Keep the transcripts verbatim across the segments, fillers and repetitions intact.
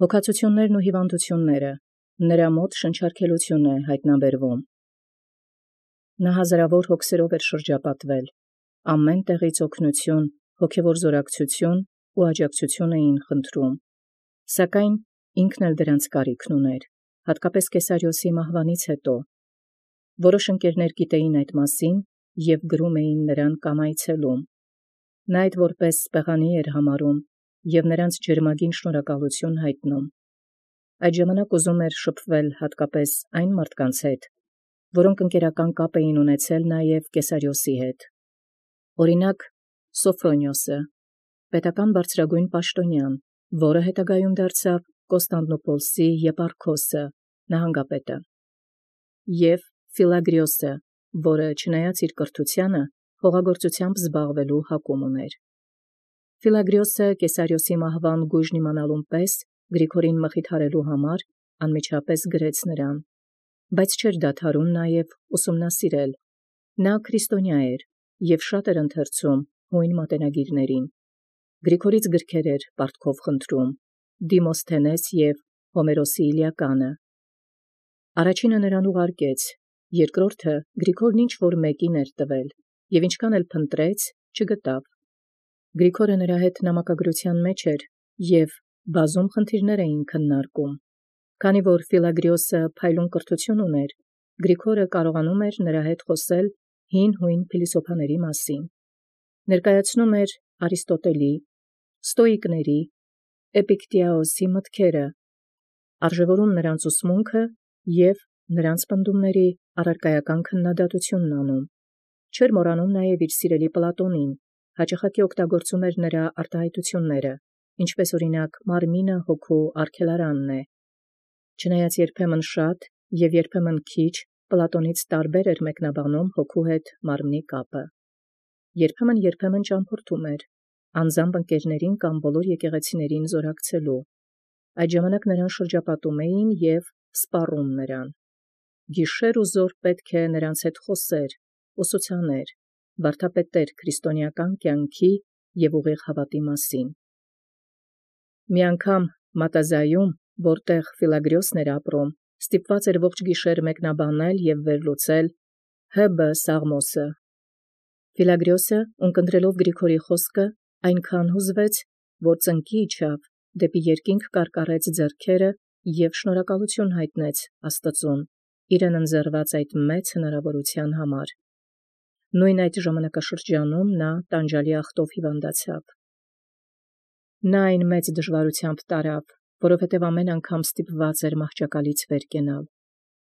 Հոգացություններն ու հիվանդությունները նրա մոտ շնչառքելություն է հայտնաբերվում։ Նա հազարավոր հոգսերով էր շրջապատվել, ամեն տեղից օգնություն, հոգևոր զորակցություն ու աջակցություն էին խնդրում, սակայն ինքն էլ դրանց կարիքն ուներ, հատկապես Կեսարիոսի մահվանից հետո։ Որոշ ընկերներ գիտեին այդ մասին և գրում էին նրան կամ այցելում։ Նա այդ որպես սպեղանի էր համարում և նրանց ջերմագին շնորհակալություն հայտնում։ Այդ ժամանակ ուզում էր շփվել հատկապես այն մարդկանց հետ, որոնք ընկերական կապ էին ունեցել նաև Կեսարիոսի հետ։ Օրինակ Սոֆրոնիոսը, պետական բարձրագույն պաշտոնյան, որը հետագայում դարձավ Կոստանդնուպոլսի եպարքոսը, նահանգապետը, և Ֆիլագրիոսը, որը չնայած իր կրթությանը, հողագործությամբ զբաղվելու հակում ուներ։ Ֆիլագրիոսը Կեսարիոսի մահվան գույժն իմանալուն պես Գրիգորին մխիթարելու համար անմիջապես գրեց նրան, բայց չէր դադարում նաև ուսումնասիրել։ Նա քրիստոնյա էր և շատ էր ընթերցում հույն մատենագիրներին։ Գրիգորից գրքեր էր պարտքով խնդրում, Դիմոսթենես և Հոմերոսի Իլիականը։ Առաջինը նրան ուղարկեց, երկրորդը Գրիգորն ինչ-որ մեկին էր տվել, և ինչքան էլ փնտրեց, չգտավ։ Գրիգորը նրա հետ նամակագրության մեջ էր և բազում խնդիրներ էին քննարկում։ Քանի որ Ֆիլագրիոսը փայլուն կրթություն ուներ, Գրիգորը կարողանում էր նրա հետ խոսել հին հույն փիլիսոփաների մասին։ Ներկայացնում էր Արիստոտելի, Ստոիկների, Էպիկտեոսի մտքերը, արժևորում նրանց ուսմունքը և նրանց պնդումների առարկայական քննադատությունն անում։ Չէր մոռանում նաև իր սիրելի Պլատոնին, հաճախակի օգտագործում էր նրա արտահայտությունները, ինչպես օրինակ մարմինը հոգու արգելարանն է։ Չնայած երբեմն շատ և երբեմն քիչ Պլատոնից տարբեր էր մեկնաբանում հոգու հետ մարմնի կապը։ Երբեմն-երբեմն ճամփորդում էր, անձամբ ընկերներին կամ բոլոր եկեղեցիներին զորակցելու։ Այդ ժամանակ նրան շրջապատում էին և սպառում նրան։ Գիշեր ու զօր պետք է նրանց հետ խոսեր, ուսուցաներ, վարդապետեր քրիստոնեական կյանքի և ուղիղ հավատի մասին։ Մի անգամ Մատազայում, որտեղ Ֆիլագրիոսն էր ապրում, ստիպված էր ողջ գիշեր մեկնաբանել և վերլուծել Հ B Սաղմոսը։ Ֆիլագրիոսը, ունկնդրելով Գրիգորի խոսքը, այնքան հուզվեց, որ ծնկի իջավ, դեպի երկինք կարկառեց ձեռքերը և շնորհակալություն հայտնեց Աստծուն իրեն ընձեռված այդ մեծ հնարավորության համար։ Նույն այդ ժամանակաշրջանում նա տանջալի ախտով հիվանդացավ։ Նա այն մեծ դժվարությամբ տարավ, որովհետև ամեն անգամ ստիպված էր մահճակալից վեր կենալ։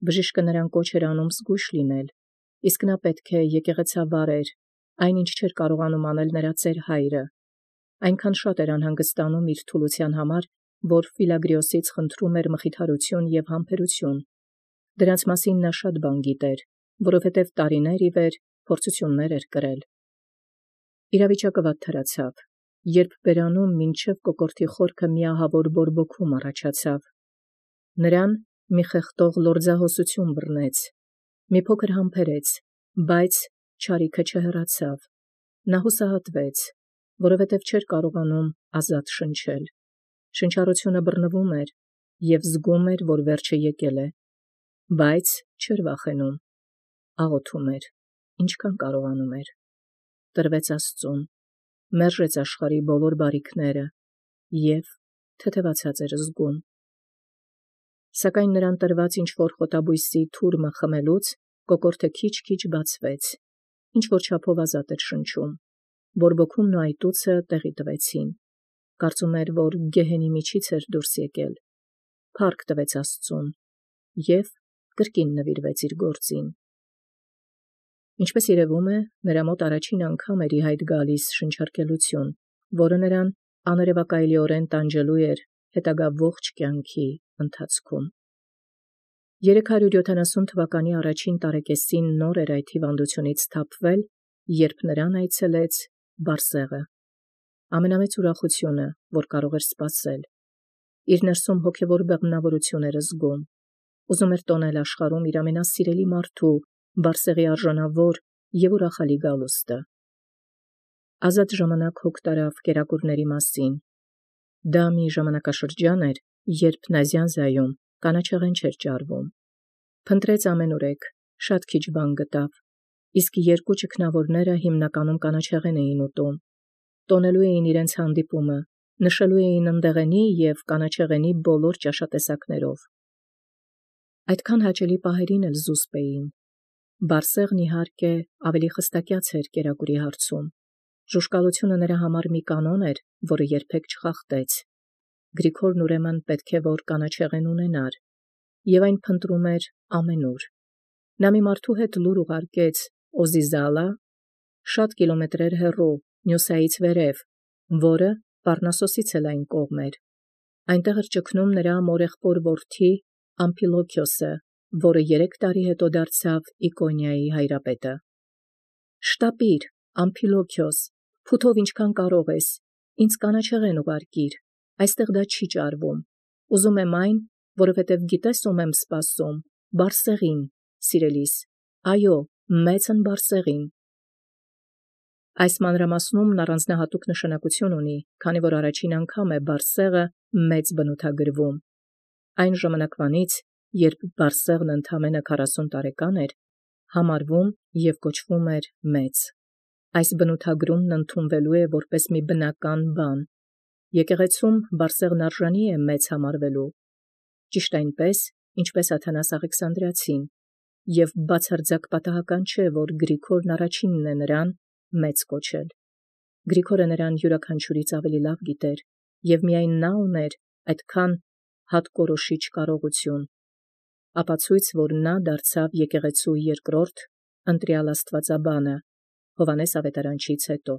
Բժիշկը նրան կոչ էր անում զգույշ լինել, իսկ նա պետք է եկեղեցավար էր, այնինչ չէր կարողանում անել նրա ծեր հայրը։ Այնքան շատ էր անհանգստանում իր թուլության համար, որ Ֆիլագրիոսից խնդրում էր մխիթարություն և համբերություն։ Դրանց մասին նա շատ բան գիտեր, որովհետև տարիներ ի վեր փորձություններ էր կրել։ Իրավիճակը վատթարացավ, երբ բերանում մինչև կոկորդի խորքը մի ահավոր բորբոքում առաջացավ։ Նրան մի խեղդող լորձահոսություն բռնեց, մի փոքր համբերեց, բայց չարիքը չհեռացավ։ Նա հուսահատվեց, որովհետև չէր կարողանում ազատ շնչել։ Շնչառությունը բռնվում էր և զգում էր, որ վերջը եկել է, բայց չէր վախենում, աղոթում էր, ինչքան կարողանում էր, տրվեց Աստծուն, մերժեց աշխարհի բոլոր բարիքները և թեթևացած էր զգում։ Սակայն նրան տրված ինչ-որ խոտաբույսի թուրմը խմելուց կոկորդը քիչ-քիչ բացվեց, ինչ-որ չափով ազատ էր շնչում, բորբոքումն ու այտուցը տեղի տվեցին, կարծում էր, որ գեհենի միջից էր դուրս եկել, փառք տվեց Աստծուն և կրկին նվիրվեց իր գործին։ Ինչպես երևում է, նրա մոտ առաջին անգամ էր ի հայտ գալիս շնչառքելություն, որը նրան աներևակայելիորեն տանջելու էր հետագա ողջ կյանքի ընթացքում։ Երեք հարյուր յոթանասուն թվականի առաջին տարեկեսին նոր էր այդ հիվանդությունից սթափվել, երբ նրան այցելեց Բարսեղը։ Ամենամեծ ուրախությունը, որ կարող էր սպասել։ Իր ներսում հոգևոր բեղմնավորություն էր զգում։ Ուզում էր տոնել աշխարհում իր ամենասիրելի մարդու Բարսեղի արժանավոր և ուրախալի գալուստը։ Ազատ ժամանակ հոգ տարավ կերակուրների մասին, Դա մի ժամանակաշրջան էր, երբ Նազյանզայում կանաչեղեն չէր ճարվում։ Փնտրեց ամենուրեք, շատ քիչ բան գտավ, իսկ երկու ճգնավորները հիմնականում կանաչեղեն էին ուտում, տոնելու էին իրենց հանդիպումը, նշելու էին ընդեղենի և կանաչեղենի բոլոր ճաշատեսակներով։ Այդքան հաճելի պահերին էլ զուսպ էին։ Բարսեղն իհարկե ավելի խստակյաց էր կերակուրի հարցում։ Ժուժկալությունը նրա համար մի կանոն էր, որը երբեք չխախտեց։ Գրիգորն ուրեմն պետք է որ կանաչեղեն ունենար, և այն փնտրում էր ամենուր։ Նա մի մարդու հետ լուր ուղարկեց Օզիզալա, շատ կիլոմետրեր հեռու, Նյուսայից վերև, որը Պառնասոսից էլ այն կողմ էր։ Այնտեղ էր ճգնում նրա մորեղբոր որդի Ամփիլոքիոսը, որը երեք տարի հետո դարձավ Իկոնիայի հայրապետը։ «Շտապիր, Ամփիլոքիոս, փութով ինչքան կարող ես, ինձ կանաչեղեն ուղարկիր, այստեղ դա չի ճարվում, ուզում եմ այն, որովհետև գիտես ում եմ սպասում, Բարսեղին, սիրելիս, այո, մեծն Բարսեղին»։ Այս մանրամասնումն առանձնահատուկ նշանակություն ունի, քանի որ առաջին անգամ է Բարսեղը մեծ բնութագրվում։ Այն ժամանակվանից, երբ Բարսեղն ընդամենը քառասուն տարեկան էր, համարվում և կոչվում էր մեծ։ Այս բնութագրումն ընդունվելու է որպես մի բնական բան։ Եկեղեցում Բարսեղն արժանի է մեծ համարվելու, ճիշտ այնպես, ինչպես Աթանաս Աղեքսանդրացին, և բացարձակ պատահական չէ, որ Գրիգորն առաջինն է նրան մեծ կոչել։ Գրիգորը նրան յուրաքանչյուրից ավելի լավ գիտեր, և միայն նա ուներ այդքան հատկորոշիչ կարողություն, ապացույց, որ նա դարձավ եկեղեցու երկրորդ ընտրյալ աստվածաբանը Հովհաննես Ավետարանչից հետո։